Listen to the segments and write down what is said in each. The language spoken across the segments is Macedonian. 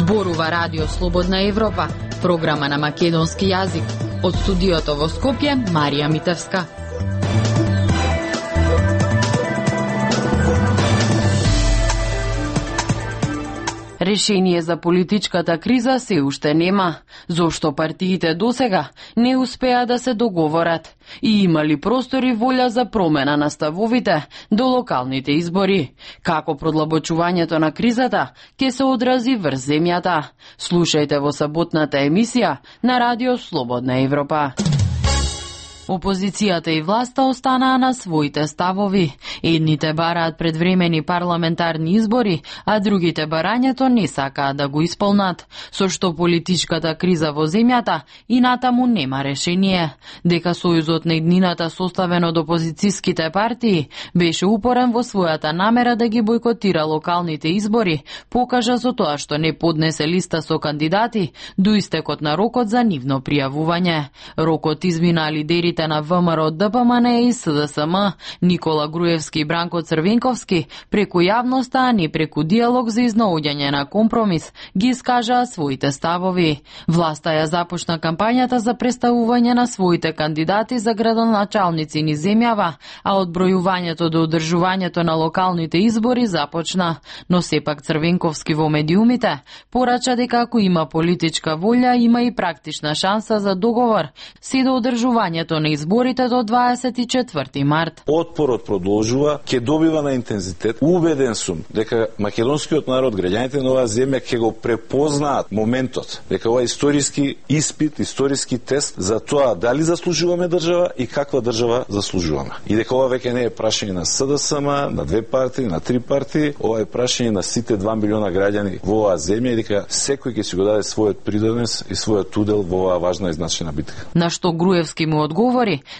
Зборува Радио Слободна Европа, програма на македонски јазик. Од студиото во Скопје, Марија Митевска. Решение за политичката криза се уште нема. Зошто партиите досега не успеа да се договорат? И има ли простор и волја за промена на ставовите до локалните избори? Како продлабочувањето на кризата ќе се одрази врз земјата? Слушајте во саботната емисија на Радио Слободна Европа. Опозицијата и власта останаа на своите ставови. Едните бараат предвремени парламентарни избори, а другите барањето не сакаат да го исполнат, со што политичката криза во земјата и натаму нема решение. Дека Сојузот на иднината, составен од опозицијските партии, беше упорен во својата намера да ги бойкотира локалните избори, покажа со тоа што не поднесе листа со кандидати до истекот на рокот за нивно пријавување. Рокот измина лидерите на ВМРО, ДПМН и СДСМ, Никола Груевски и Бранко Црвенковски, преку јавноста, а не преку диалог за изнаоѓање на компромис, ги искажаа своите ставови. Власта ја започна кампањата за представување на своите кандидати за градоначалници низ земјава, а одбројувањето до одржувањето на локалните избори започна. Но сепак Црвенковски во медиумите порача дека ако има политичка волја, има и практична шанса за договор се до одржувањето на изборите до 24 март. Отпорот продолжува, ќе добива на интензитет. Убеден сум дека македонскиот народ, граѓаните на оваа земја ќе го препознаат моментот, дека ова историски испит, историски тест за тоа дали заслужуваме држава и каква држава заслужуваме. И дека ова веќе не е прашање на СДСМ, на две партии, на три партии, ова е прашање на сите 2 милиона граѓани во оваа земја и дека секој ќе си го даде својот придонес и својот удел во оваа важна и значајна битка. На што Груевски му одговори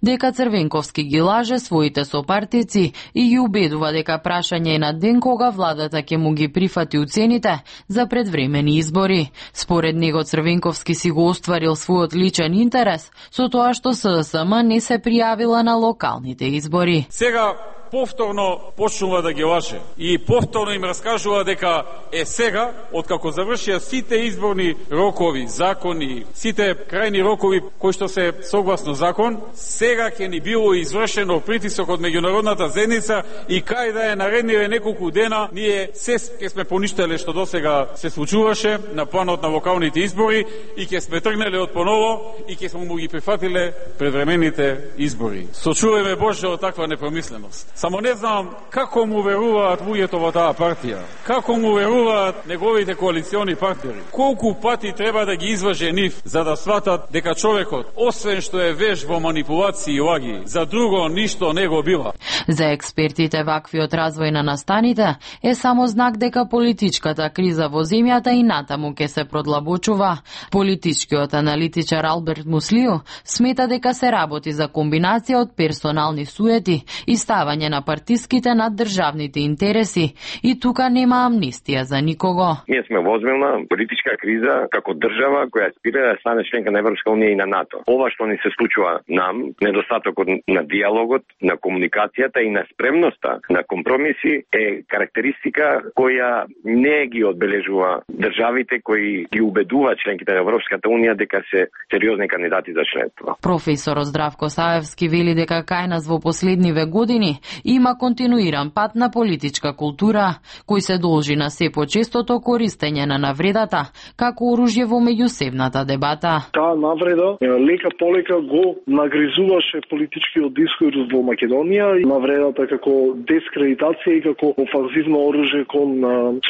дека Црвенковски ги лаже своите сопартици и ги убедува дека прашање е на ден кога владата ќе му ги прифати уцените за предвремени избори. Според него Црвенковски си го остварил својот личен интерес со тоа што СДСМ не се пријавила на локалните избори. Сега повторно почнува да ги лаже и повторно им раскажува дека сега, откако завршија сите изборни рокови, закони, сите крајни рокови кои што се согласно закон, сега ќе ни било извршено притисок од меѓународната заедница и кај да е наредниве неколку дена, ние се ќе сме поништеле што досега се случуваше на планот на локалните избори и ќе сме тргнеле од поново и ќе сме му ги прифатиле предвремените избори. Сочувајме Боже од таква непромисленост. Само не знам како му веруваат луѓето во таа партија, како му веруваат неговите коалициони партнери. Колку пати треба да ги изваже нив за да сватат дека човекот, освен што е веш во манипулации и лаги, за друго ништо не го бива. За експертите ваквиот развој на настаните е само знак дека политичката криза во земјата и натаму ќе се продлабочува. Политичкиот аналитичар Алберт Муслио смета дека се работи за комбинација од персонални суети и ставање на партиските над државните интереси и тука нема амнистија за никого. Ние сме во озбилна политичка криза како држава која аспира да стане членка на Европска унија и на НАТО. Ова што ни се случува нам, недостатокот на диалогот, на комуникацијата и на спремноста на компромиси е карактеристика која не ги одбележува државите кои ги убедуваат членките на Европската унија дека се сериозни кандидати за членство. Професорот Здравко Саевски вели дека кај нас во последниве години има континуиран пат на политичка култура, кој се должи на се почестото користење на навредата како оружје во меѓусебната дебата. Таа навреда лека полека го нагризуваше политичкиот дискурс во Македонија и навредата како дискредитација и како офанзивно оружје кон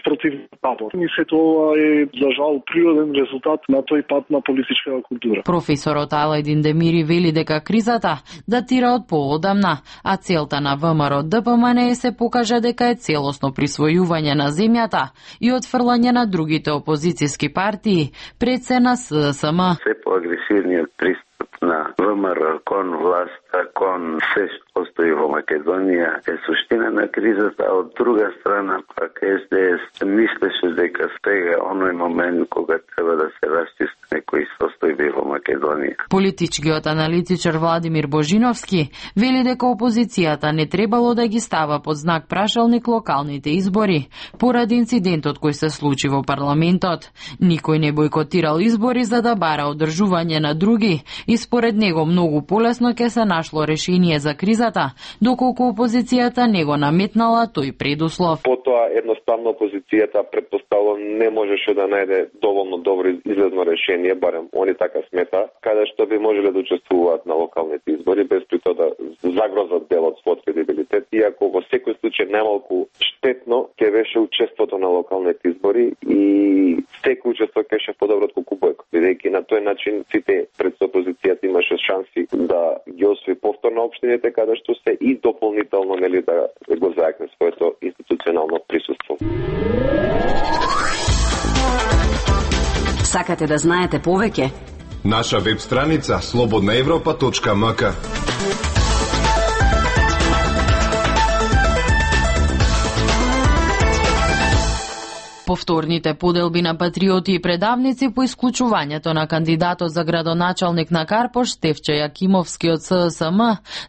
спротивен табор. И се тоа е за жал природен резултат на тој пат на политичката култура. Професорот Алајдин Демири вели дека кризата датира од поодамна, а целта на ВМРО ДПМН се покажа дека е целосно присвојување на земјата и отфрлање на другите опозицијски партии пред се на СДСМ. Се поагресивниот пристап на ВМРО кон власта, кон се што постои во Македонија е суштина на кризата, а од друга страна пак СДС мислеше дека стега оној момент кога треба да се расчисти некои состојби во Македонија. Политичкиот аналитичар Владимир Божиновски вели дека опозицијата не требало да ги става под знак прашалник локалните избори, поради инцидентот кој се случи во парламентот. Никој не бойкотирал избори за да бара одржување на други и според него многу полесно ќе се нашло решение за кризата, доколку опозицијата не го наметнала тој предуслов. Потоа едноставно опозицијата претпоставувам не можеше да најде доволно добро излезно решение, барем они така смета, каде што би можеле да учествуваат на локалните избори без при тоа да загрозат дел од својот кредибилитет, иако во секој случај најмалку штетно ќе беше учеството на локалните избори и секој учество ќе беше подобро отколку бојкот, бидејќи на тој начин сите пред опозицијата имаше шанси да ги освои повторно општините каде што се и дополнително нели да го зајакне своето институционално присуство. Сакате да знаете повеќе? Наша веб страница slobodnaevropa.mk. Повторните поделби на патриоти и предавници по исклучувањето на кандидатот за градоначалник на Карпош Стефче Јакимовски од ССМ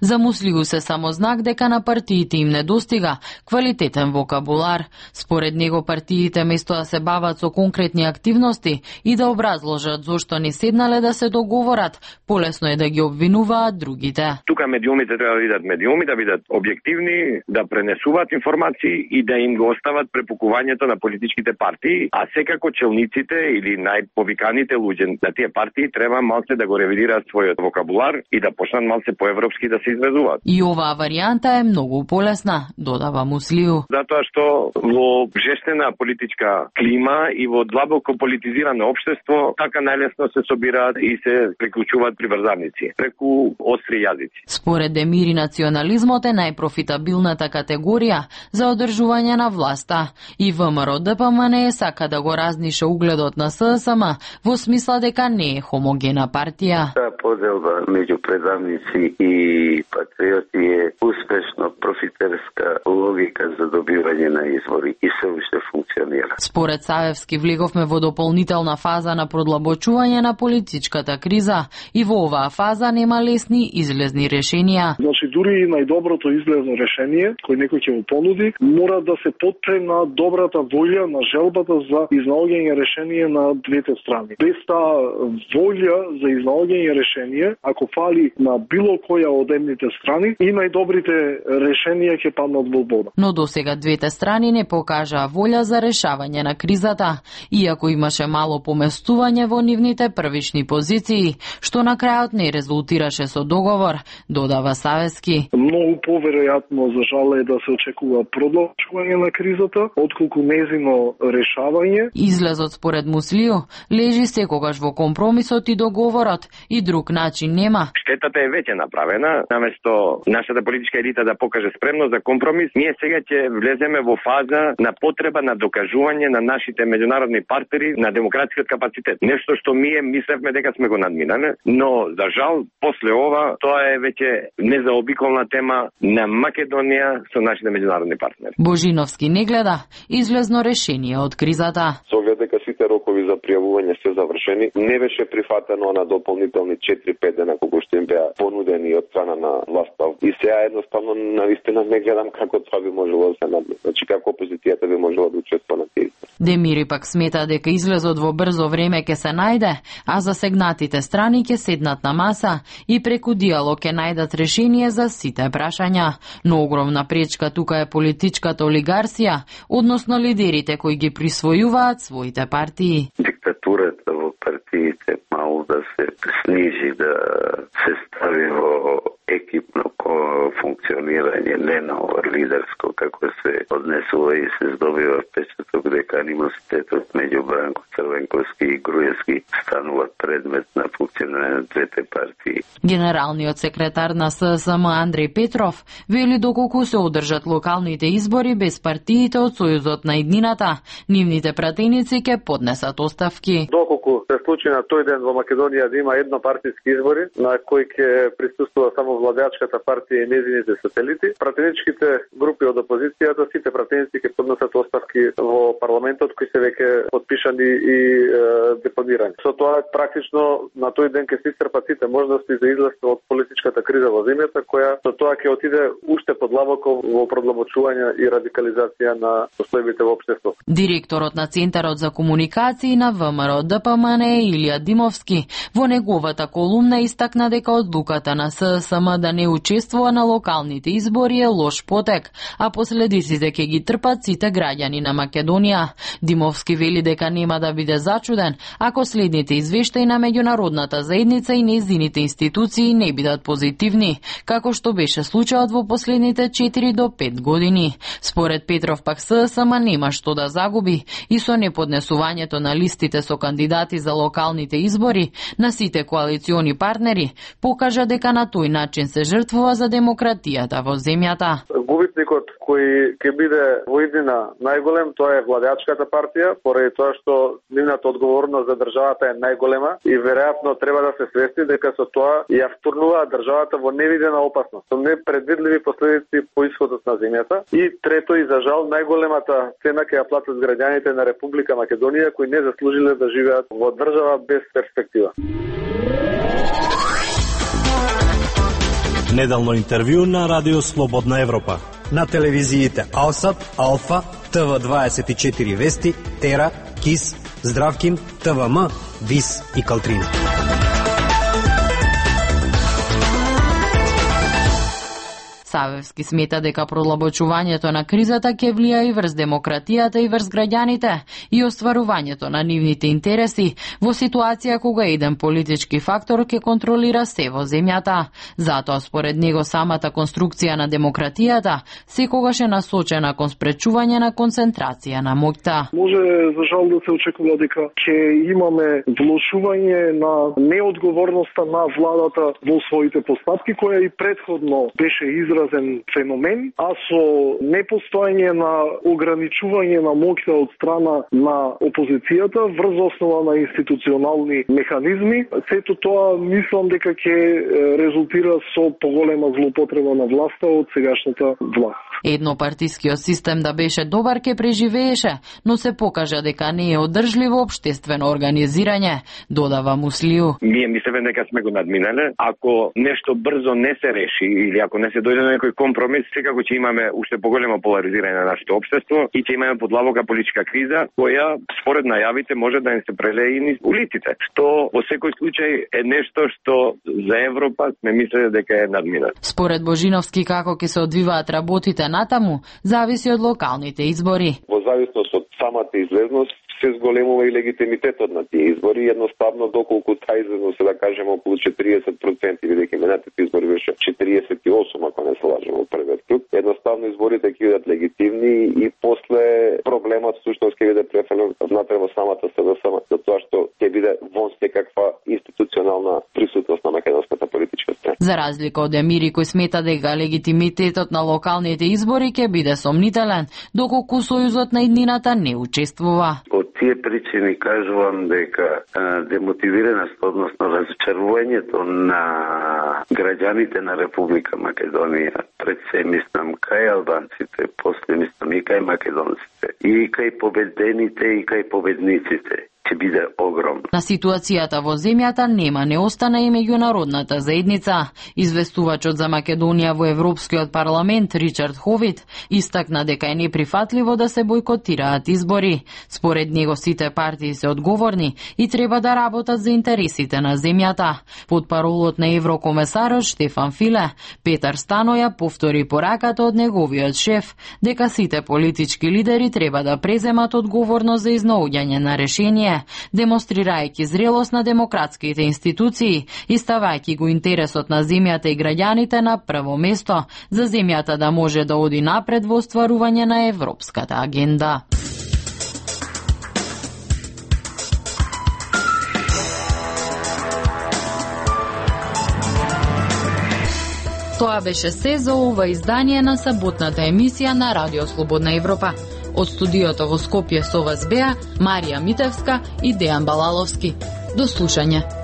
замуслиу се само знак дека на партиите им недостига квалитетен вокабулар. Според него партиите место да се бават со конкретни активности и да образложат зошто не седнале да се договорат, полесно е да ги обвинуваат другите. Тука медиумите треба да бидат медиуми, да бидат објективни, да пренесуваат информации и да им го остават препукувањето на политичките партии, а секако челниците или најповиканите луѓе на тие партии треба малце да го ревидираат својот вокабулар и да почнат малце поевропски да се изразуваат. И оваа варијанта е многу полесна, додава Муслиу. Затоа што во жестена политичка клима и во длабоко политизирано општество така најлесно се собираат и се приклучуваат приврзавници преку остри јазици. Според Демири национализмот е најпрофитабилната категорија за одржување на власта и ВМРО ДПМН не сака да го разнише угледот на ССМ во смисла дека не е хомогена партија. Таа поделба меѓу предавници и патриоти е успешно профитерска логика за добивање на избори и се уште функционира. Според Савевски влеговме во дополнителна фаза на продлабочување на политичката криза и во оваа фаза нема лесни излезни решенија. Значи дури и најдоброто излезно решение кој некој ќе го понуди мора да се потпре на добрата волја на желбата за изнаоѓање решение на двете страни. Без таа волја за изнаоѓање решение, ако фали на било која од едните страни, и најдобрите решенија ќе паднат во вода. Но досега двете страни не покажаа волја за решавање на кризата, иако имаше мало поместување во нивните првични позиции, што на крајот не резултираше со договор, додава Савески. Многу поверојатно за жал е да се очекува продолжување на кризата, отколку незино решавање. Излезот според Муслиу лежи секогаш во компромисот и договорот и друг начин нема. Штетата е веќе направена, наместо нашата политичка елита да покаже спремност за компромис, ние сега ќе влеземе во фаза на потреба на докажување на нашите меѓународни партнери на демократскиот капацитет. Нешто што ние мислевме дека сме го надминале, но за жал после ова тоа е веќе незаобиколна тема на Македонија со нашите меѓународни партнери. Божиновски не гледа излезно решение од кризата. Со оглед дека сите рокови за пријавување се завршени, не беше прифатено на дополнителни 4-5 дена колку што им беа понудени од страна на власта. И сега едноставно навистина не гледам како тоа би можело да се надмине. Значи како опозицијата би можела да учествува на тие. Демири пак смета дека излезот во брзо време ќе се најде, а засегнатите страни ќе седнат на маса и преку диалог ќе најдат решение за сите прашања. Но огромна пречка тука е политичката олигарсија, односно лидерите кои ги присвојуваат своите партии. Диктатурата во партиите мало да се снижи, да се стави во екипно функционирање, не на лидерско, како се однесува и се здобива впечаток дека анимозитетот меѓу Бранко Црвенковски и Груевски станува предмет на функционирање на двете партии. Генералниот секретар на ССМ Андреј Петров вели доколку се одржат локалните избори без партиите од Сојузот на иднината, нивните пратеници ќе поднесат оставки. Доколку се случи на тој ден во Македонија да има еднопартиски избори на кои ќе присуствува само владеачката партија и нејзините сателити, пратеничките групи од опозицијата, сите пратеници ќе поднесат оставки во парламентот кои се веќе подпишани и депонирани. Со тоа практично на тој ден ќе се исцрпат сите можности за излез од политичката криза во земјата, која со тоа ќе отиде уште подлабоко во продлабочување и радикализација на состојбите во општеството. Директорот на Центарот за комуникации на ВМРО ДПМН Илија Димовски во неговата колумна истакна дека одлуката на ССМ да не учествува на локалните избори е лош потек, а последиците ќе ги трпат сите граѓани на Македонија. Димовски вели дека нема да биде зачуден ако следните извештаи на меѓународната заедница и нејзините институции не бидат позитивни, како што беше случајот во последните 4 до 5 години. Според Петров пак ССМ нема што да загуби и со неподнесувањето на листите со кандидати за локалните избори на сите коалициони партнери покажа дека на тој начин се жртвува за демократијата во земјата. Губитникот кој ќе биде во иднина најголем, тоа е владеачката партија, поради тоа што нивната одговорност за државата е најголема и веројатно треба да се свести дека со тоа ја втурнува државата во невидена опасност, со непредвидливи последици по исходот на земјата. И трето и за жал најголемата цена ќе ја платат граѓаните на Република Македонија кои не заслужиле да живеат во држава без перспектива. Неделно интервју на Радио Слободна Европа. На телевизиите Алсат, Алфа, ТВ24 Вести, Тера, КИС, Здравкин, ТВМ, ВИС и Калтрина. Савевски смета дека продлабочувањето на кризата ќе влија и врз демократијата и врз граѓаните и остварувањето на нивните интереси во ситуација кога еден политички фактор ќе контролира се во земјата. Затоа според него самата конструкција на демократијата секогаш е насочена кон спречување на концентрација на моќта. Може за жал да се очекува дека ќе имаме влошување на неодговорноста на владата во своите постапки, која и претходно беше изразен феномен, а со непостојање на ограничување на моќта од страна на опозицијата врз основа на институционални механизми, сето тоа мислам дека ќе резултира со поголема злоупотреба на власта од сегашната власт. Еднопартискиот систем да беше добар ке преживееше, но се покажа дека не е одржливо општествено организирање, додава Муслиу. Ние мислиме дека сме го надминале. Ако нешто брзо не се реши или ако не се дојде до некој компромис, секако ќе имаме уште поголемо поларизирање на нашето општество и ќе имаме подлабока политичка криза, која според најавите може да не се прелее и низ улиците, што во секој случај е нешто што за Европа сме мислеле дека е надминато. Според Божиновски, како ќе се одвиваат работите натаму, зависи од локалните избори. Во зависност од самата излезност се зголемува и легитимитетот на тие избори, едноставно доколку таа излезност е да кажеме околу 40%, бидејќи минатите избори беше 48, ако не се лажам во првиот круг, едноставно изборите ќе бидат легитимни и после проблемот всушност ќе биде префрлен внатре во самата СДСМ, затоа што ќе биде вон секаква институционална присутност на македонската политичка сцена. За разлика од Емири кој смета дека легитимитетот на локалните избори ќе биде сомнителен, доколку Сојузот на иднината не учествува. Од тие причини кажувам дека демотивираност, односно разочарувањето на граѓаните на Република Македонија, пред се мислам кај албанците, после мислам и кај македонците, и кај победените и кај победниците, ќе биде огромна. На ситуацијата во земјата нема не остана и меѓународната заедница. Известувачот за Македонија во Европскиот парламент Ричард Ховит истакна дека е неприфатливо да се бойкотираат избори. Според него сите партии се одговорни и треба да работат за интересите на земјата. Потпаролот на еврокомесарот Штефан Филе, Петар Станоја повтори пораката од неговиот шеф дека сите политички лидери треба да преземат одговорност за изнаоѓање на решение Скопје, демонстрирајќи зрелост на демократските институции и ставајќи го интересот на земјата и граѓаните на прво место, за земјата да може да оди напред во остварување на европската агенда. Тоа беше се за ова издание на саботната емисија на Радио Слободна Европа. Од студиото во Скопје со вас беа Марија Митевска и Дејан Балаловски. До слушање.